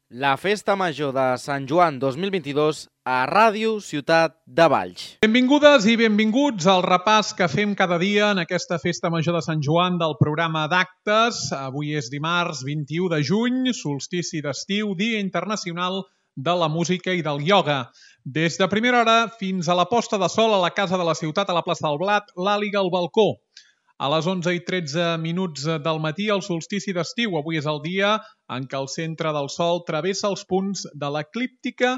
La Festa Major de Sant Joan 2022 a Ràdio Ciutat de Valls. Benvingudes i benvinguts al repàs que fem cada dia en aquesta Festa Major de Sant Joan del programa d'actes. Avui és dimarts 21 de juny, solstici d'estiu, Dia Internacional de la Música i del Ioga. Des de primera hora fins a la posta de sol a la Casa de la Ciutat, a la plaça del Blat, l'Àliga al balcó. A les 11:13 del matí, el solstici d'estiu. Avui és el dia en què el centre del Sol travessa els punts de l'eclíptica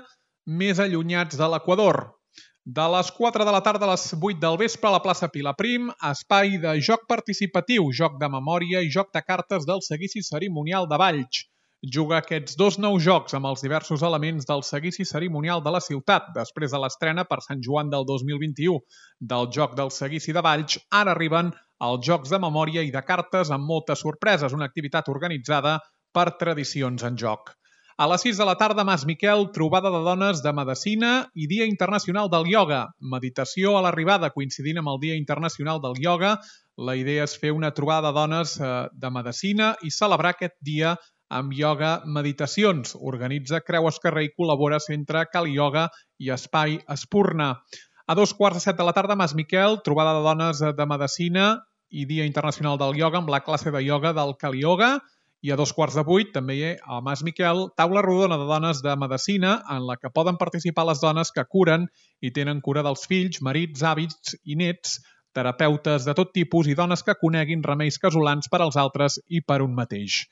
més allunyats de l'equador. De les 4 de la tarda a les 8 del vespre a la plaça Pilaprim, espai de joc participatiu, joc de memòria i joc de cartes del seguici cerimonial de Valls. Juga aquests dos nous jocs amb els diversos elements del seguici cerimonial de la ciutat. Després de l'estrena per Sant Joan del 2021 del joc del seguici de Valls, ara arriben els jocs de memòria i de cartes amb moltes sorpreses, una activitat organitzada per Tradicions en Joc. A les 6 de la tarda, Mas Miquel, trobada de dones de medicina i Dia Internacional del Ioga. Meditació a l'arribada, coincidint amb el Dia Internacional del Ioga. La idea és fer una trobada de dones de medicina i celebrar aquest dia amb ioga meditacions. Organitza Creu Esquerrer i col·labora Centre Kali Yoga i Espai Espurna. A 2:15 de la tarda, Mas Miquel, trobada de dones de medicina i Dia Internacional del Ioga amb la classe de ioga del Kali Yoga. I a 7:15, també a Mas Miquel, taula rodona de dones de medicina en la que poden participar les dones que curen i tenen cura dels fills, marits, avis i nets, terapeutes de tot tipus i dones que coneguin remeis casolans per als altres i per un mateix.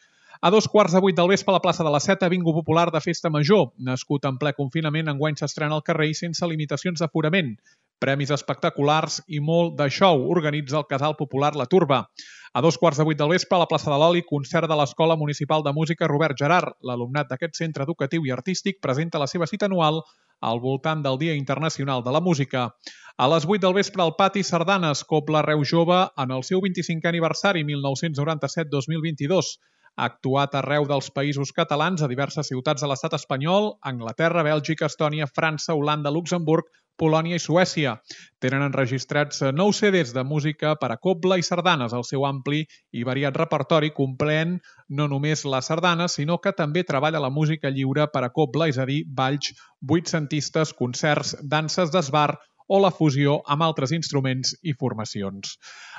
A 7:15 del vespre a la plaça de la Seta, bingo popular de Festa Major. Nascut en ple confinament, enguany s'estrena al carrer i sense limitacions d'aforament. Premis espectaculars i molt de show. Organitza el Casal Popular La Turba. A 7:15 del vespre a la plaça de l'Oli, concert de l'Escola Municipal de Música Robert Gerard. L'alumnat d'aquest centre educatiu i artístic presenta la seva cita anual al voltant del Dia Internacional de la Música. A les 8 del vespre al Pati Sardanes, Cobla Reus Jove en el seu 25è aniversari 1997-2022. Ha actuat arreu dels països catalans a diverses ciutats de l'estat espanyol, Anglaterra, Bèlgica, Estònia, França, Holanda, Luxemburg, Polònia i Suècia. Tenen enregistrats 9 CDs de música per a cobla i sardanes. El seu ampli i variat repertori comprèn no només les sardanes, sinó que també treballa la música lliure per a cobla, és a dir, balls, vuitcentistes, concerts, danses d'esbar o la fusió amb altres instruments i formacions.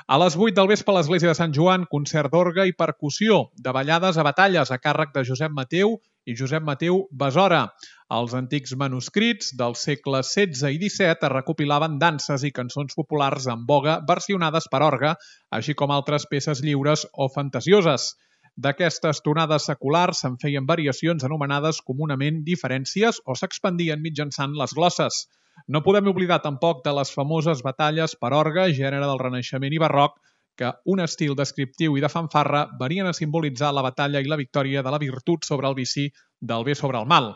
A les 8 del vespre a l'Església de Sant Joan, concert d'orgue i percussió, de ballades a batalles a càrrec de Josep Mateu i Josep Mateu Besora. Els antics manuscrits dels segles XVI i XVII es recopilaven danses i cançons populars en voga versionades per orgue, així com altres peces lliures o fantasioses. D'aquestes tonades seculars se'n feien variacions anomenades comunament diferències o s'expandien mitjançant les glosses. No podem oblidar tampoc de les famoses batalles per orgue, gènere del Renaixement i Barroc, que un estil descriptiu i de fanfarra venien a simbolitzar la batalla i la victòria de la virtut sobre el vici, del bé sobre el mal.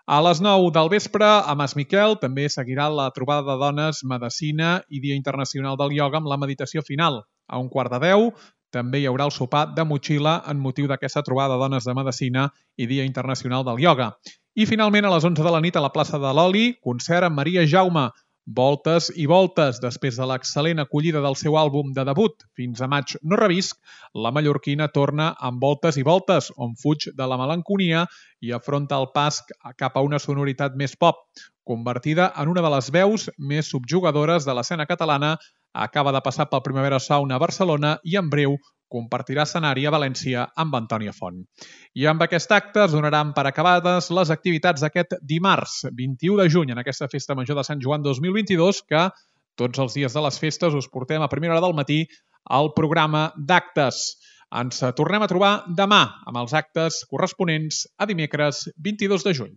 A les 9 del vespre, a Mas Miquel, també seguirà la trobada de dones, medicina i Dia Internacional del Ioga amb la meditació final. A 9:15, també hi haurà el sopar de motxilla en motiu d'aquesta trobada de dones de medicina i Dia Internacional del Ioga. I finalment, a les 11 de la nit, a la plaça de l'Oli, concert amb Maria Jaume. Voltes i voltes. Després de l'excel·lent acollida del seu àlbum de debut, Fins a maig no revisc, la mallorquina torna amb Voltes i voltes, on fuig de la melanconia i afronta el pas cap a una sonoritat més pop. Convertida en una de les veus més subjugadores de l'escena catalana, acaba de passar pel Primavera Sound a Barcelona i en breu compartirà escenari a València amb Antònia Font. I amb aquest acte es donaran per acabades les activitats d'aquest dimarts, 21 de juny, en aquesta Festa Major de Sant Joan 2022, que tots els dies de les festes us portem a primera hora del matí al programa d'actes. Ens tornem a trobar demà amb els actes corresponents a dimecres 22 de juny.